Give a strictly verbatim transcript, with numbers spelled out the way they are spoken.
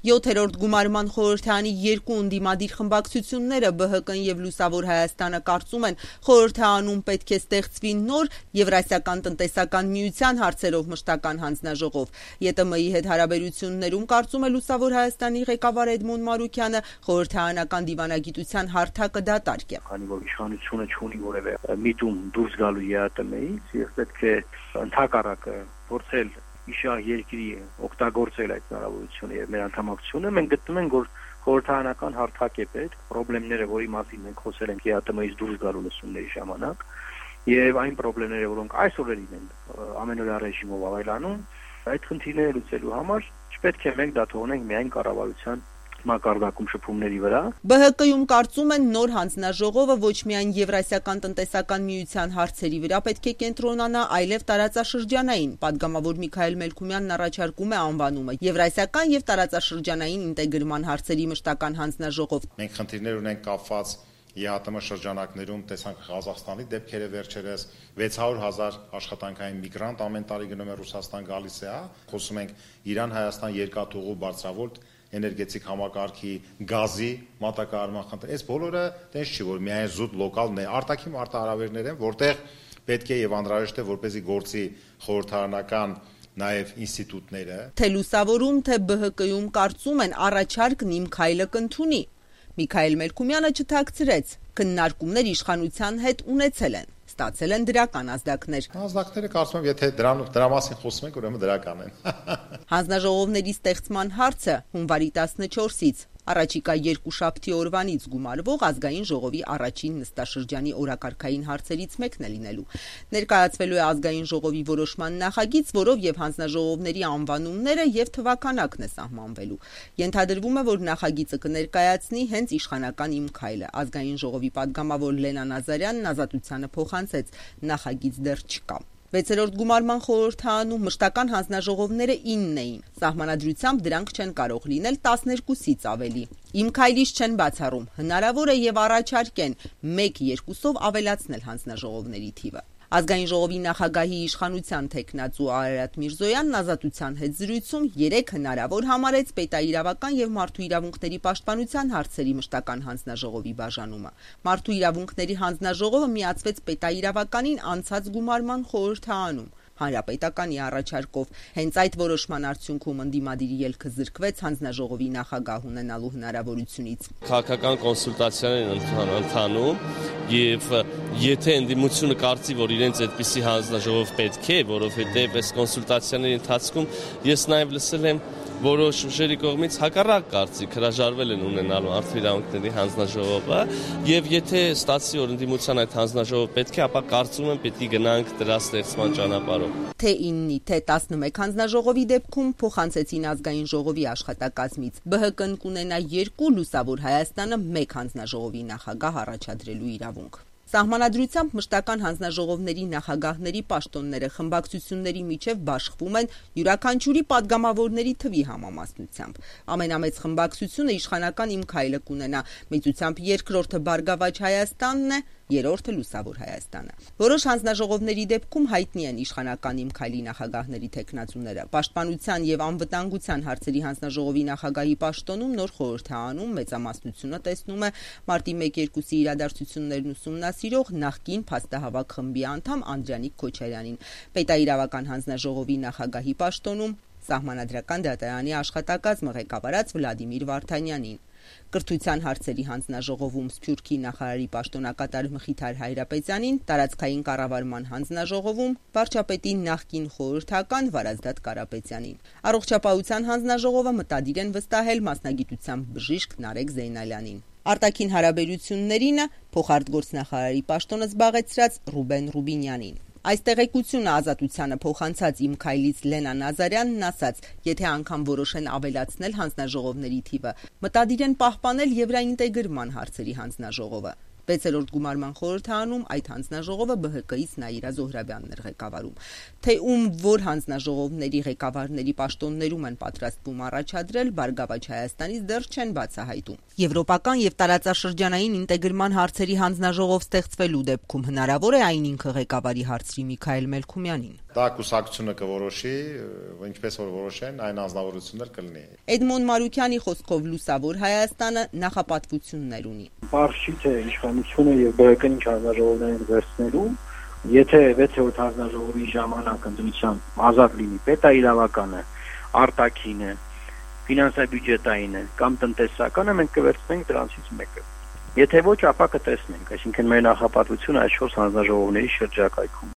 Յոթերորդ գումարման խորհրդարանի երկու ընդդիմադիր խմբակցությունները Բ Հ Կն եւ Լուսավոր Հայաստանը կարծում են, խորհրդարանում պետք է ստեղծվի նոր Եվրասիական տնտեսական միության հարցերով մշտական հանձնաժողով։ Ե Տ Մ-ի հետ հարաբերություններում, կարծում է Լուսավոր Հայաստանի ղեկավար Էդմոն Մարուկյանը, խորհրդարանական դիվանագիտության հարթակը դատարկ է։ Քանի որ իշխանությունը չունի որևէ միտում դուրս գալու Ե Տ Մ-ից, եւ պետք է ընդհակառակը փորձել իշահ երկրի օգտագործել այդ հնարավորությունը եւ մեր անդամակցությունը, մենք գտնում ենք, որ խորհրդարանական հարթակ է պետք, խնդիրները, որի մասին մենք խոսել ենք Ե Տ Մ-ից դուրս գալու լսումների ժամանակ, եւ այն խնդիրները, որոնք այս օրերին են ամենօրյա ռեժիմով ավելանում, այդ խնդիրները լուծելու համար չպետք է մենք դա թողնենք միայն կառավարության մակարդակում շփումների վրա։ Բ Հ Կ-ում կարծում են, նոր հանձնաժողովը ոչ միայն Եվրասիական տնտեսական միության հարցերի վրա պետք է կենտրոնանա, այլև տարածաշրջանային։ Պատգամավոր Միքայել Մելքումյանն առաջարկում է անվանումը Եվրասիական եւ տարածաշրջանային ինտեգրման հարցերի մշտական հանձնաժողով։ Մենք խնդիրներ ունենք կապված Ե Ա Տ Մ շրջանակներում, տեսանք Ղազախստանի դեպքերը վերջերս, վեց հարյուր հազար աշխատանքային միգրանտ ամեն տարի գնում է Ռուսաստան գալիս է, հա, խոսում ենք Իրան-Հայաստան երկաթուղու բարձրավոլտ էներգետիկ համակարգի, գազի մատակարարման խնդիր։ Այս բոլորը տես չի, որ միայն զուտ լոկալ արտաքին մարտահրավերներ են, որտեղ պետք է եւ անհրաժեշտ է, որպեսզի գործի խորհրդարանական նաեւ ինստիտուտները։ Թե Լուսավորում, թե Բ Հ Կ-ում կարծում են, առաջարկն իմ քայլը կընդունի։ Միքայել Մելքումյանը չթաքցրեց, քննարկումներ իշխանության հետ ունեցել են, ստացել են դրական ազդակներ։ Ազդակները կարծում եմ, եթե դրան դրա մասին խոսում ենք, ուրեմն դրական են։ Հանձնաժողովների ստեղծման հարցը հունվարի տասնչորսից առաջիկա երկուշաբթի օրվանից գումարվող ազգային ժողովի առաջին նստաշրջանի օրակարգային հարցերից մեկն է լինելու։ Ներկայացվելու է ազգային ժողովի որոշման նախագիծ, որով եւ հանձնաժողովների անվանումները եւ թվականակն է սահմանվելու։ Ենթադրվում է, որ նախագիծը կներկայացնի հենց իշխանական Իմ քայլը։ Ազգային ժողովի պատգամավոր Լենա Նազարյանն ազատությանը փոխանցեց, նախագիծ դեռ չկա։ Վեցերորդ գումարման խորհրդարանում մշտական հանձնաժողովները ինն էին։ Սահմանադրությամբ դրանք չեն կարող լինել տասներկուսից ավելի։ Իմ քայլից չեն բացառում, հնարավոր է եւ առաջարկեն մեկ-երկուսով ավելացնել հանձնաժողովների թիվը։ Ազգային ժողովի նախագահի իշխանության թեկնածու Արարատ Միրզոյանն ազատության հետ զրույցում երեք հնարավոր համարեց պետաիրավական եւ մարդու իրավունքների պաշտպանության հարցերի մշտական հանձնաժողովի բաժանումը։ Մարդու իրավունքների հանձնաժողովը միացվեց պետաիրավականին անցած գումարման խորհրդարանում Հանրապետականի առաջարկով։ Հենց այդ որոշման արդյունքում ընդդիմադիրի ելքը զրկվեց հանձնաժողովի նախագահ ունենալու հնարավորությունից։ Քաղաքական կոնսուլտացիաներ են ընթանում եւ եթե ընդդիմությունը կարծի, որ իրենց այդպիսի հանձնաժողով պետք է, որովհետեւ այս կոնսուլտացիաների ընթացքում ես նաեւ լսել եմ որոշ ուժերի կողմից հակառակ կարծիք հրաժարվել են ունենալու մարդու իրավունքների հանձնաժողովը եւ եթե ստացի որ ընդդիմության այդ հանձնաժողովը պետք է, ապա կարծում եմ պետք է գնանք դրա ստեղծման ճանապարհով։ Թե իննի, թե տասնմեկ հանձնաժողովի դեպքում փոխանցեցին ազգային ժողովի աշխատակազմից։ Բ Հ Կն կունենա երկու, Լուսավոր Հայաստանը մեկ հանձնաժողովի նախագահ առաջադրելու իրավունք։ Սահմանադրությամբ մշտական հանձնաժողովների նախագահների պաշտոնները խմբակցությունների միջև բաշխվում են յուրաքանչյուրի падգամավորների թվի համամասնությամբ։ Ամենամեծ խմբակցությունը իշխանական Իմ քայլը կունենա, մեծությամբ երկրորդը Բարգավաճ Հայաստանն է, երրորդը Լուսավոր Հայաստանը։ Որոշ հանձնաժողովների դեպքում հայտնի են իշխանական Իմ քայլի նախագահների թեկնածուները։ Պաշտպանության եւ անվտանգության հարցերի հանձնաժողովի նախագահի պաշտոնում նոր խորհրդարանում մեծամասնությունը տեսնում է մարտի մեկ-երկուսի իրադարձություններն ուսումնասիրող նախկին փաստահավաք խմբի անդամ Անդրանիկ Քոչարյանին։ Պետաիրավական հանձնաժողովի նախագահի պաշտոնում Սահմանադրական դատարանի աշխատակազմը ղեկավարած Վլադիմիր Վարդանյանին։ Կրթության հարցերի հանձնաժողովում Սփյուռքի նախարարի պաշտոնակատար Մխիթար Հայրապետյանին, տարածքային կառավարման հանձնաժողովում վարչապետի նախկին խորհրդական Վարազդատ Կարապետյանին։ Առողջապահության հանձնաժողովը մտադիր են վստահել մասնագիտությամբ բժիշկ Նարեկ Զեյնալյանին։ Արտաքին հարաբերություններինը փոխարտգործնախարարի պաշտոնը զբաղեցրած Ռուբեն Ռուբինյանին։ Այս տեղեկությունը ազատությանը փոխանցած Իմ քայլից Լենա Նազարյանն ասաց, եթե անգամ որոշեն ավելացնել հանձնաժողովների թիվը, մտադիր են պահպանել եվրաինտեգրման հարցերի հանձնաժողովը։ Վեցերորդ գումարման խորհրդարանում այդ հանձնաժողովը B H K-ից Նաիրա Զոհրաբյանն էր ղեկավարում։ Թե ում որ հանձնաժողովների ղեկավարների պաշտոններում են պատրաստվում առաջադրել, Բարգավաճ Հայաստանից դեռ չեն բացահայտում։ Եվրոպական եւ տարածաշրջանային ինտեգրման հարցերի հանձնաժողով ստեղծվելու դեպքում հնարավոր է այն ինքը ղեկավարի հարցրի Միքայել Մելքումյանին։ Դա կուսակցությունը կորոշի, ինչպես որ որոշեն, այն անձնավորություններ կլինի։ Էդմոն Մարուկյանի խոսքով Լուսավոր Հայաստանը նախապատվություններ ունի։ Պարզ չի թե իշխանությունը եւ B H K-ն ինչ հանձնաժողովներ վերցնելու, եթե վեցերորդ հանձնաժողովի ժամանակ ընտրության ազատ լինի պետաիրավականը, արտաքինը, ֆինանսա-բյուջետայինը կամ տնտեսականը, մենք կվերցնենք դրանցից մեկը։ Եթե ոչ, ապա կտեսնենք, այսինքն մեր նախապատվությունը այս չորս հանձնաժողովների շրջակայքում։